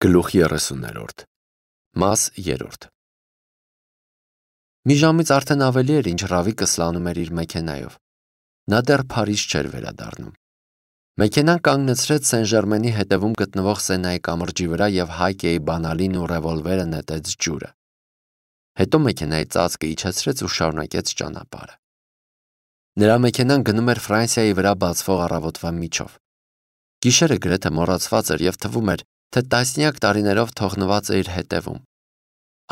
Գլուխ 30-րդ Մաս 3 Մի ժամից արդեն ավելի էր, ինչ Ռավիկը սլանում էր իր մեքենայով։ Նա դեռ Փարիզ չէր վերադառնում։ Մեքենան կանգնեցրեց Սեն-Ժերմենի հետևում գտնվող Սենայի կամրջի վրա և Հայկեի բանալին ու ռևոլվերը նետեց ջուրը։ Հետո մեքենայի ծածկը իջեցրեց ու շարունակեց ճանապարհը։ Նրա մեքենան գնում էր Ֆրանսիայի վրա բացվող առավոտվա միջով։ Գիշերը գրեթե մոռացված էր և թվում էր, թե տասնյակ տարիներով թողնված է իր հետևում։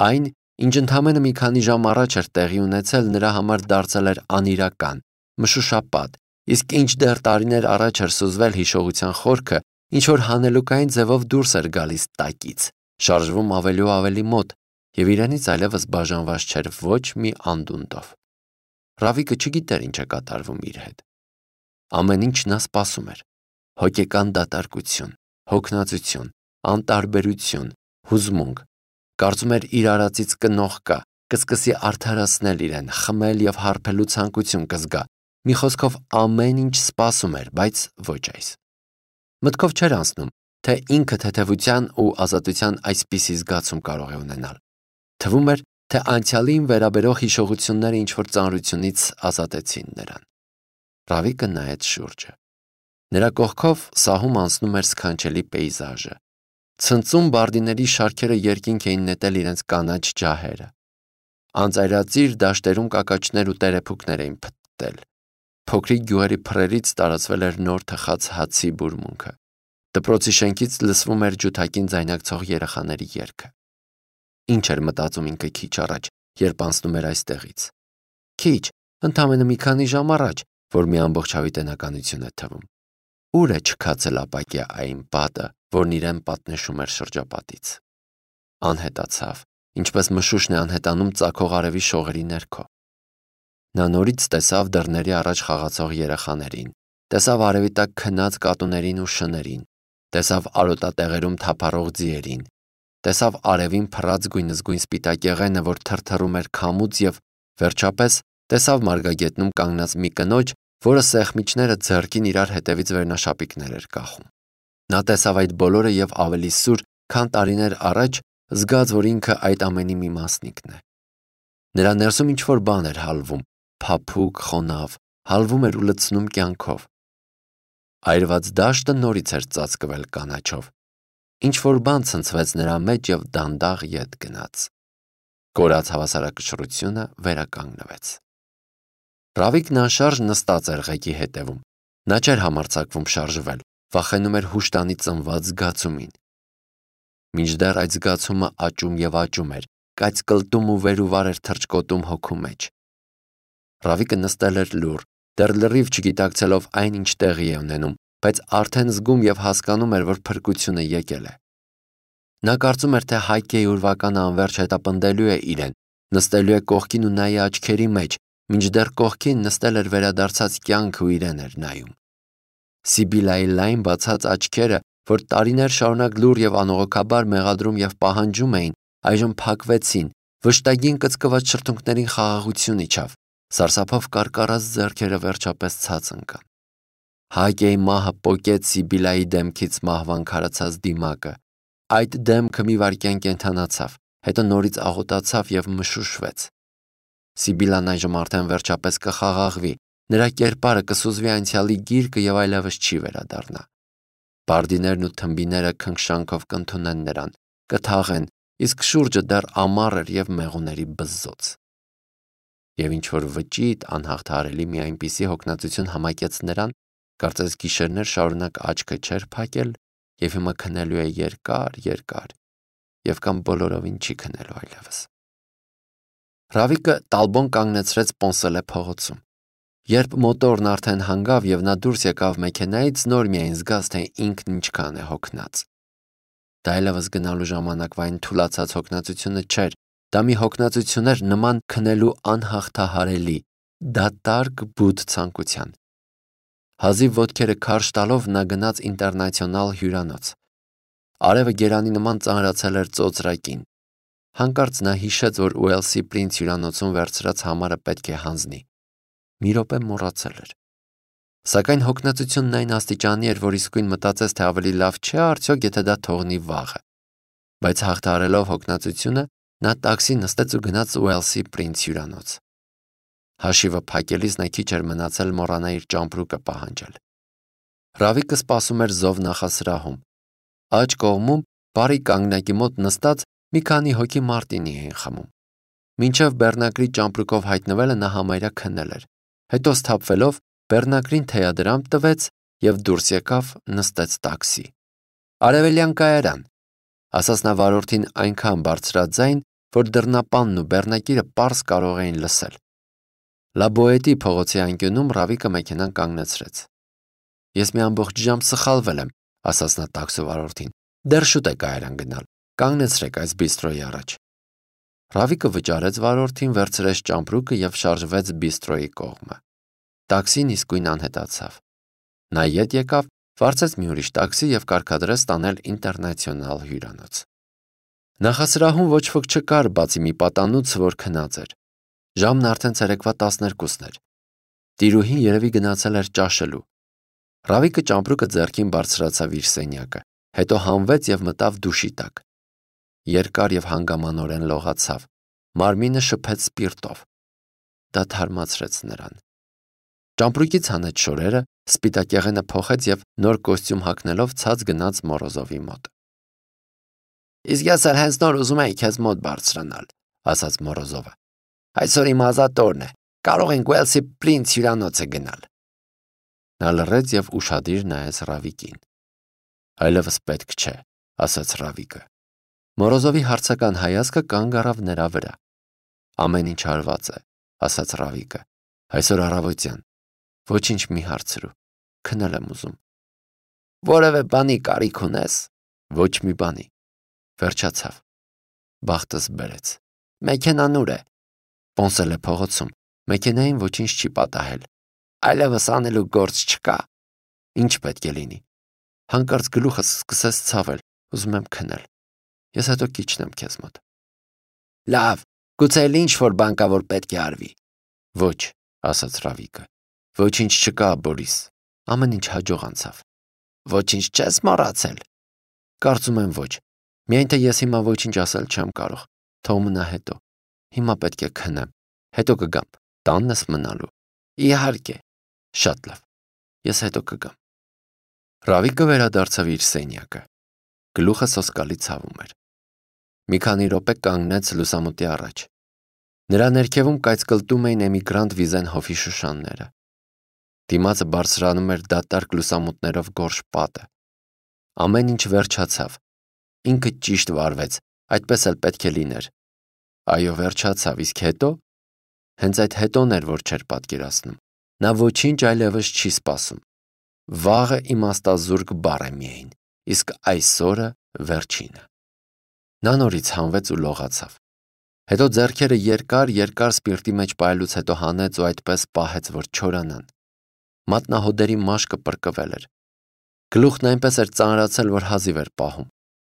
Այն, ինչ ընդամենը մի քանի ժամ առաջ էր տեղի ունեցել, նրա համար դարձել էր անիրական, մշուշապատ, իսկ ինչ դեռ տարիներ առաջ էր սուզվել հիշողության խորքը, ինչ-որ հանելուկային ձևով դուրս էր գալիս տակից, շարժվում ավելի ու ավելի մոտ, և իրենից այլևս բաժանված չէր ոչ մի անդունդով։ Ռավիկը չգիտեր ինչ է կատարվում իր հետ։ Ամեն ինչ նա սպասում էր։ Հոգեկան դատարկություն, հոգնածություն, անտարբերություն, հուզմունք, կարծում էր իր արածից կնող կա, կսկսի արդարացնել իրեն, խմել և հարբելու ցանկություն կզգա, մի խոսքով ամեն ինչ սպասում էր, բայց ոչ այս։ Մտքով չէր անցնում, թե ինքը թեթևության ու ազատության այսպիսի զգացում կարող է ունենալ։ Թվում էր, թե անցյալին վերաբերող հիշողությունները ինչ-որ ծանրությունից ազատեցին նրան։ Ռավիկը նայեց շուրջը։ Նրա կողքով սահում անցնում էր սքանչելի պեյզաժը։ Ցնծում բարդիների շարքերը երկինք էին նետել իրենց կանաչ ջահերը։ Անծայրածիր դաշտերում կակաչներ ու տերեփուկներ էին փտտել։ Փոքրիկ գյուղերի փռերից տարածվել էր նոր թխած հացի բուրմունքը։ Դպրոցի շենքից լսվում էր ջութակին ձայնակցող երեխաների երգը։ Ինչ էր մտածում ինքը քիչ առաջ, երբ անցնում էր այստեղից։ Քիչ, ընդամենը մի քանի ժամ առաջ, որ մի ամբողջ հավիտենականություն է թվում։ Ուր է չքացել ապակյա այն պատը, որն իրեն պատնեշում էր շրջապատից։ Անհետացավ, ինչպես մշուշն է անհետանում ծագող արևի շողերի ներքո։ Նա նորից տեսավ դռների առաջ խաղացող երեխաներին, տեսավ արևի տակ քնած կատուներին ու շներին, տեսավ արոտատեղերում թափառող ձիերին, տեսավ արևին փռած գույնզգույն սպիտակեղենը, որ թրթռում էր քամուց, և վերջապես տեսավ մարգագետնում կանգնած մի կնոջ, որը սեղմիչները ձեռքին իրար հետևից վերնաշապիկներ էր կախում։ Նա տեսավ այդ բոլորը և ավելի սուր, քան տարիներ առաջ, զգաց, որ ինքը այդ ամենի մի մասնիկն է։ Նրա ներսում ինչ-որ բան էր հալվում, փափուկ, խոնավ, հալվում էր ու լցնում կյանքով։ Այրված դաշտը նորից էր ծածկվել կանաչով։ Ինչ-որ բան ցնցվեց նրա մեջ և դանդաղ ետ գնաց։ Կորած հավասարակշռությունը վերականգնվեց։ Ռավիկն անշարժ նստած էր ղեկի հետևում։ Նա չէր համարձակվում շարժվել, վախենում էր հուշտանի ծնված զգացումին։ Մինչդեռ այդ զգացումը աճում և աճում էր, կայծկլտում ու վեր ու վար էր թռչկոտում հոգու մեջ։ Ռավիկը նստել էր լուռ, դեռ լրիվ չգիտակցելով այն, ինչ տեղի է ունենում, բայց արդեն զգում և հասկանում էր, որ փրկությունը եկել է։ Նա կարծում էր, թե Հայկեի ուրվականը անվերջ հետապնդելու է իրեն, նստելու է կողքին ու նայի աչքերի մեջ, մինչդեռ կողքին նստել էր վերադարձած կյանքը ու իրեն էր նայում։ Սիբիլայի լայն բացած աչքերը, որ տարիներ շարունակ լուռ և անողոքաբար մեղադրում և պահանջում էին, այժմ փակվեցին, վշտագին կծկված շրթունքներին խաղաղություն իջավ, սարսափով կարկառած ձեռքերը վերջապես ցած ընկան։ Հայկեի մահը պոկեց Սիբիլայի դեմքից մահվան քարացած դիմակը։ Այդ դեմքը մի վայրկյան կենդանացավ, հետո նորից աղոտացավ և մշուշվեց։ Սիբիլան այժմ արդեն վերջապես կխաղաղվի, նրա կերպարը կսուզվի անցյալի գիրկը և այլևս չի վերադառնա։ Բարդիներն ու թմբիները քնքշանքով կընդունեն նրան, կթաղեն, իսկ շուրջը դեռ ամառ էր և մեղուների բզզոց։ Եվ ինչ-որ վճիտ անհաղթահարելի մի այնպիսի հոգնածություն համակեց նրան, կարծես գիշերներ շարունակ աչքը չէր փակել և հիմա քնելու է երկար, և կամ բոլորովին չի քնելու այլևս։ Ռավիկը տալբոն կանգնեցրեց Պոնսելե փողոցում։ Երբ մոտորն արդեն հանգավ և նա դուրս եկավ մեքենայից, նոր միայն զգաց, թե ինքն ինչքան է հոգնած։ Դա այլևս գնալու ժամանակվա այն թուլացած հոգնածությունը չէր, դա մի հոգնածություն էր նման քնելու անհաղթահարելի, դատարկ բութ ցանկության։ Հազիվ ոտքերը քարշ տալով նա գնաց Ինտերնացիոնալ հյուրանոց։ Արևը գերանի նման ծանրացել էր ծոծրակին։ Հանկարծ նա հիշեց, որ Ուելսի Պրինց հյուրանոցում վերցրած համարը պետք է հանձնի։ Մի րոպե մոռացել էր։ Սակայն հոգնածությունն այն աստիճանի էր, որ իսկույն մտածեց, թե ավելի լավ չէ արդյոք, եթե դա թողնի վաղը։ բայց հաղթահարելով հոգնածությունը, նա տաքսի նստեց ու գնաց Ուելսի Պրինց հյուրանոց։ Հաշիվը փակելիս նա քիչ էր մնացել մոռանա իր ճամպրուկը պահանջել։ Ռավիկը սպասում էր զով նախասրահում։ Աջ կողմում բարի կանգնակի մոտ նստած մի քանի հոգի մարտինի էին խմում։ Մինչև Բեռնակրի ճամպրուկով հայտնվելը նա համարյա քնել էր։ Հետո սթափվելով Բեռնակրին թեյադրամ տվեց եւ դուրս եկավ, նստեց տաքսի։ Արևելյան կայարան, ասաց նա վարորդին այնքան բարձրաձայն, որ դռնապանն ու Բեռնակիրը պարզ կարող էին լսել։ Լաբոետի փողոցի անկյունում Ռավիկը մեքենան կանգնեցրեց։ Ես մի ամբողջ ժամ սխալվել եմ, ասաց նա տաքսու վարորդին։ Դեռ շուտ է կայարան գնալ։ Կանգնեցրեք այս բիստրոյի առաջ։ Ռավիկը վճարեց վարորդին, վերցրեց ճամպրուկը եւ շարժվեց բիստրոյի կողմը։ Տաքսին իսկույն անհետացավ։ Նա ետ եկավ, վարձեց մի ուրիշ տաքսի եւ կարգադրեց տանել ինտերնացիոնալ հյուրանոց։ Նախասրահում ոչ ոք չկար, բացի մի պատանուց, որ քնած էր։ Ժամն արդեն ցերեկվա 12-ն էր։ Տիրուհին երևի գնացել էր ճաշելու։ Ռավիկը ճամպրուկը ձեռքին բարձրացավ իր սենյակը, հետո հանվեց եւ մտավ դուշի տակ։ Երկար եւ հանգամանորեն լողացավ։ Մարմինը շփեց սպիրտով։ Դա թարմացրեց նրան։ Ճամպրուկից հանեց շորերը, սպիտակեղենը փոխեց եւ նոր կոստյում հագնելով ցած գնաց Մորոզովի մոտ։ Իսկ ես էլ հենց նոր ուզում եի քեզ մոտ բարձրանալ, ասաց Մորոզովը։ Այսօր իմ ազատ օրն է, կարող ենք Ուելսի Պրինց հյուրանոցը գնալ։ Նա լռեց եւ ուշադիր նայեց Ռավիկին։ Այլևս պետք չէ, ասաց Ռավիկը։ Մորոզովի հարցական հայացքը կանգ առավ նրա վրա։ Ամեն ինչ արված է, ասաց Ռավիկը։ Այսօր առավոտյան։ Ոչինչ մի հարցրու։ Քնել եմ ուզում։ Որևէ բանի կարիք ունես։ Ոչ մի բանի։ Վերջացավ։ Բախտս բերեց։ Մեքենան ուր է։ Պոնսել է փողոցում։ Մեքենային ոչինչ չի պատահել։ Այլևս անելու գործ չկա։ Ինչ պետք է լինի։ Հանկարծ գլուխս սկսեց ցավել։ Ուզում եմ քնել։ Ես հետո կիջնեմ քեզ մոտ։ Լավ, գուցե ինչ որ բան կա, որ պետք է արվի։ Ոչ, ասաց Ռավիկը։ Ոչինչ չկա, Բորիս։ Ամեն ինչ հաջող անցավ։ Ոչինչ չես մոռացել։ Կարծում եմ ոչ։ Միայն թե ես հիմա ոչինչ ասել չեմ կարող։ Թող մնա հետո։ Հիմա պետք է քնեմ։ Հետո կգամ։ Տանն ես մնալու։ Իհարկե։ Շատ լավ։ Ես հետո կգամ։ Ռավիկը վերադարձավ իր սենյակը։ Գլուխը սոսկալի ցավում էր։ Մի քանի րոպե կանգնեց լուսամուտի առաջ։ Նրա ներքևում կայծկլտում էին էմիգրանտ Վիզենհոֆի շշանները։ Դիմացը բարձրանում էր դատարկ լուսամուտներով գորշ պատը։ Ամեն ինչ վերջացավ։ Ինքը ճիշտ վարվեց, այդպես էլ պետք է լիներ։ Այո, վերջացավ, իսկ հետո։ Հենց այդ հետոն էր, որ չէր պատկերացնում։ Նա ոչինչ այլևս չի սպասում։ Վաղը իմաստազուրկ բառ է միայն, իսկ այսօրը վերջինը։ Նա նորից հանվեց ու լողացավ։ Հետո ձեռքերը երկար սպիրտի մեջ պայելուց հետո հանեց ու այդպես պահեց, որ չորանան։ Մատնահոդերի մաշկը պրկվել էր։ Գլուխն այնպես էր ծանրացել, որ հազիվ էր պահում։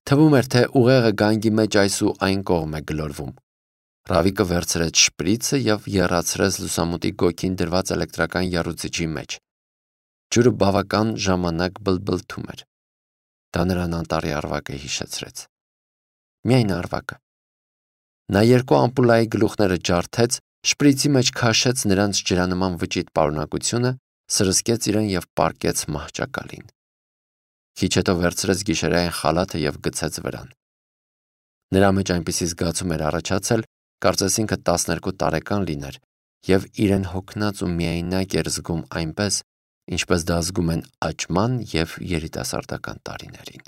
Թվում էր, թե ուղեղը գանգի մեջ այս ու այն կողմ է գլորվում։ Ռավիկը վերցրեց շպրիցը եւ եռացրեց լուսամուտի գոգին դրված էլեկտրական եռուցիչի մեջ։ Ջուրը բավական ժամանակ բլբլթում էր։ Դա նրան անտառի արվակը հիշեցրեց։ Միայն արվակը։ Նա երկու ամպուլայի գլուխները ջարդեց, շպրիցի մեջ քաշեց նրանց ջրանման վճիտ պարունակությունը, սրսկեց իրեն եւ պառկեց մահճակալին։ Քիչ հետո վերցրեց գիշերային խալաթը եւ գցեց վրան։ Նրա մեջ այնպիսի զգացում էր առաջացել, կարծես ինքը 12 տարեկան լիներ եւ իրեն հոգնած ու միայնակ էր զգում այնպես, ինչպես դա զգում են աճման եւ երիտասարդական տարիներին։